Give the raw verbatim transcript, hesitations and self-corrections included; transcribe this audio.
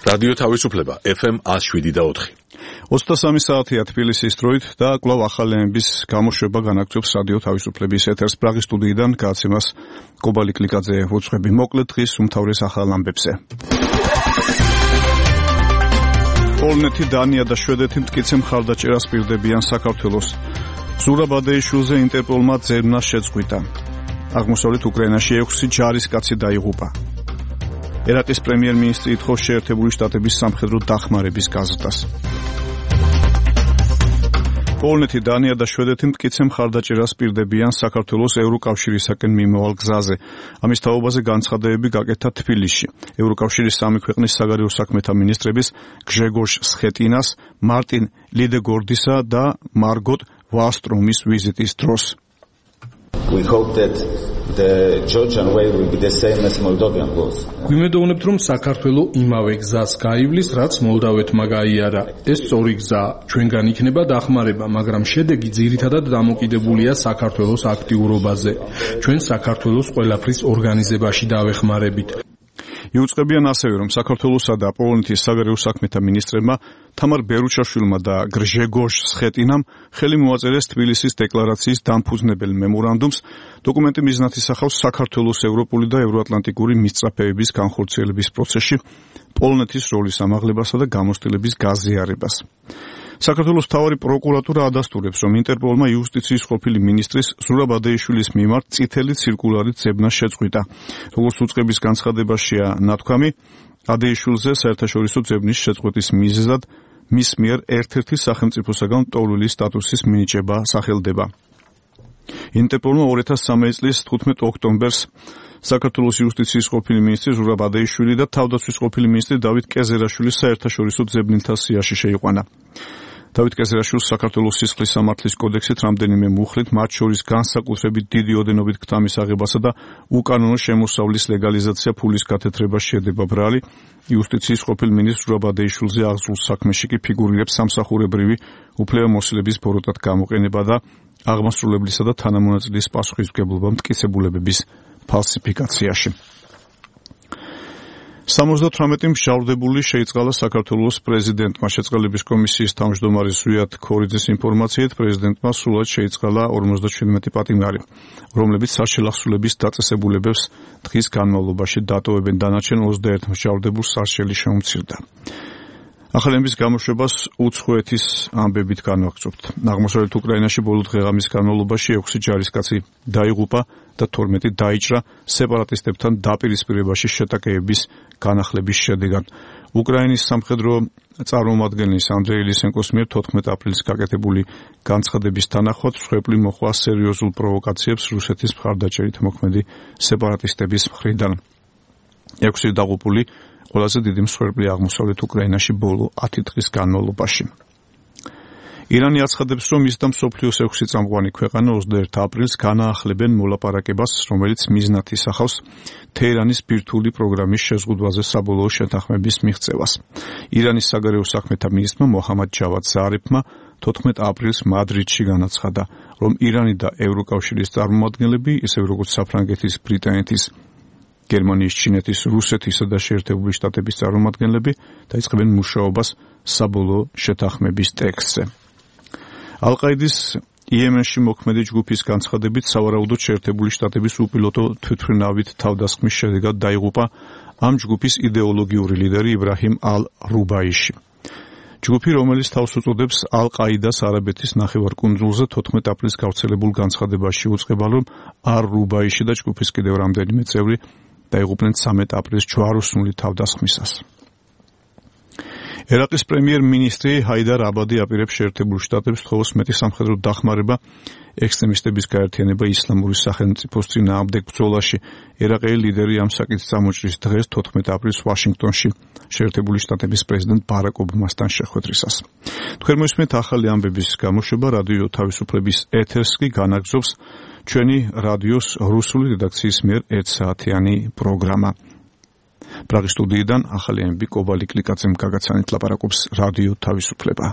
რადიო თავისუფლება ეფ ემ one oh seven და four. ოცდასამი საათია თბილისის დროით და კვლავ ახალი ემების გამოშვება განაგრძობს რადიო თავისუფლების ეთერს. პრაღის სტუდიიდან გააცემას კობალი კლიკაძე უძღვები. მოკლედ დღის უმთავრეს ახალ ამბებზე. პოლონეთი, დანია და შვედეთი მტკიცე მხარდაჭერას პირდებიან საქართველოს. ზურაბ ადეიშვილზე ინტერპოლმა ძებნა შეწყვიტა. აღმოსავლეთ უკრაინაში ექვსი ჯარისკაცი დაიღუპა. ერაყის პრემიერ-მინისტრი ითხოვს შეერთებული შტატების სამხედრო დახმარების გაზრდას. პოლონეთი, დანია და შვედეთი მტკიცე მხარდაჭერას პირდებიან საქართველოს ევროკავშირისაკენ მიმავალ გზაზე. ამის თაობაზე განცხადებები გაკეთა თბილისში. ევროკავშირის სამი ქვეყნის საგარეო საქმეთა მინისტრების გჟეგორ სხეტინას, მარტინ ლიდეგორდისა და მარგოტ ვალსტრომის ვიზიტის დროს. We hope that the Georgian way will be the same as Moldovan was. გვიმედოვნებთ, რომ საქართველო იმავე გზას გაივლის, რაც მოლდავეთმა გაიარა. ეს სწორი გზა ჩვენგან იქნება დახმარება, მაგრამ შედეგი ძირითადად დამოკიდებულია საქართველოს აქტიურობაზე. ჩვენ საქართველოს ყველაფრის ორგანიზებაში დავეხმარებით. იუწყებიან ასევე, რომ საქართველოსა და პოლონეთის საგარეო საქმეთა მინისტრებმა თამარ ბერუჩაშვილმა და გჟეგორ სხეტინამ ხელი მოაწერეს თბილისის დეკლარაციის დამფუძნებელ მემორანდუმს. დოკუმენტი მიზნად ისახავს საქართველოს ევროპული და ევროატლანტიკური მისწრაფეების განხორციელების პროცესში პოლონეთის როლის ამაღლებასა და გამოცდილების გაზიარებას. საქართველოს მთავარი პროკურატურა ადასტურებს, რომ ინტერპოლმა იუსტიციის ყოფილი მინისტრის ზურაბ ადეიშვილის მიმართ წითელი ცირკულარით ძებნა შეწყვიტა. როგორც უწყების განცხადებაშია ნათქვამი, ადეიშვილზე საერთაშორისო ძებნის შეწყვეტის მიზეზად მის მიერ ერთ-ერთი სახელმწიფოსაგან მტოვლილი სტატუსის მინიჭება სახელდება. ინტერპოლმა ორი ათას სამი წლის თხუთმეტ ოქტომბერს საქართველოს იუსტიციის ყოფილი მინისტრი ზურაბ ადეიშვილი და თავდაცვის ყოფილი მინისტრი დავით კეზერაშვილის საერთაშორისო ძებნელთა სიაში შეიყვანა. დავით კეზერაშვილს საქართველოს სისხლის სამართლის კოდექსით რამდენიმე მუხლით, მათ შორის განსაკუთრებით დიდი ოდენობით ქთამის აღებასა და უკანონო შემოსავლის ლეგალიზაცია ფულის გათეთრება შედება ბრალი. იუსტიციის ყოფილ მინისტრ ზურაბ ადეიშვილზე აღზრულ საქმეში კი ფიგურირებს სამსახურებრივი უფლებამოსილების ბოროტად გამოყენება და აღმასრულებლისა და თანამონაწილის პასუხისმგებლობა მტკიცებულებების ფალსიფიკაციაში. სამოცდათვრამეტი მსჯავრდებული შეიწყალა საქართველოს პრეზიდენტმა. შეწყალების კომისიის თავმჯდომარე ზვიად ქორიძის ინფორმაციით, პრეზიდენტმა სრულად შეიწყალა ორმოცდაჩვიდმეტი პატიმარი, რომლებიც საშელახსულების დაწესებულებებს დღის განმავლობაში დატოვებენ. დანარჩენ ოცდაერთ მსჯავრდებულს სარჩელი შეუმცირდა. ახალი ემების გამოშვებას უცხოეთის ამბებით განვაგრძობთ. აღმოსავლეთ უკრაინაში ბოლო დღეღამის განმავლობაში ექვსი ჯარისკაცი დაიღუპა და თორმეტი დაიჭრა სეპარატისტებთან დაპირისპირებაში შეტაკებების განახლების შედეგად. უკრაინის სამხედრო წარმომადგენლის ანდრეი ლისენკოს მიერ თოთხმეტ აპრილს გაკეთებული განცხადების თანახმად მსხვერპლი მოჰყვა სერიოზულ პროვოკაციებს რუსეთის მხარდაჭერით მოქმედი სეპარატისტების მხრიდან. ექვსი დაღუპული ყველაზე დიდი მსხვერპლი აღმოსავლეთ უკრაინაში ბოლო ათი დღის განმავლობაში. ირანი აცხადებს, რომ ის და მსოფლიოს ექვსი წამყვანი ქვეყანა ოცდაერთ აპრილს განაახლებენ მოლაპარაკებას, რომელიც მიზნად ისახავს თეირანის ბირთვული პროგრამის შეზღუდვაზე საბოლოო შეთანხმების მიღწევას. ირანის საგარეო საქმეთა მინისტრმა მოჰამად ჯავად ზარიფმა თოთხმეტ აპრილს მადრიდში განაცხადა, რომ ირანი და ევროკავშირის წარმომადგენლები, ისევე როგორც საფრანგეთის, ბრიტანეთის, გერმანიის, ჩინეთის, რუსეთისა და შეერთებული შტატების წარმომადგენლები დაიწყებენ მუშაობას საბოლოო შეთანხმების ტექსტზე. ალ-ყაიდის იემენში მოქმედი ჯგუფის განცხადებით, სავარაუდოდ შეერთებული შტატების უპილოტო თვითმფრინავით თავდასხმის შედეგად დაიღუპა ამ ჯგუფის იდეოლოგიური ლიდერი იბრაჰიმ ალ-რუბაიში. ჯგუფი, რომელიც თავს უწოდებს ალ-ყაიდას არაბეთის ნახევარკუნძულზე, თოთხმეტ აპრილს გავრცელებულ განცხადებაში უწყება, რომ ალ-რუბაიში და ჯგუფის კიდევ რამდენიმე წევრი დაიღუპნენ ცამეტ აპრილს ჯვაროსნული თავდასხმისას. ერაყის პრემიერ-მინისტრი ჰაიდარ აბადი აპირებს შეერთებულ შტატებს თხოვოს მეტი სამხედრო დახმარება ექსტრემისტების გაერთიანება ისლამური სახელმწიფოს წინააღმდეგ ბრძოლაში. ერაყელი ლიდერი ამ საკითხს წამოჭრის დღეს თოთხმეტ აპრილს ვაშინგტონში შეერთებული შტატების პრეზიდენტ ბარაკ ობამასთან შეხვედრისას. თქვენ მოისმენთ ახალი ამბების გამოშვება რადიო თავისუფლების ეთერს კი განაგრძობს ჩვენი რადიოს რუსული რედაქციის მიერ ერთსაათიანი პროგრამა. პრაღის სტუდიიდან ახალი ემები კობალი კლიკაძემ გაგაცანით ლაპარაკობს რადიო თავისუფლება.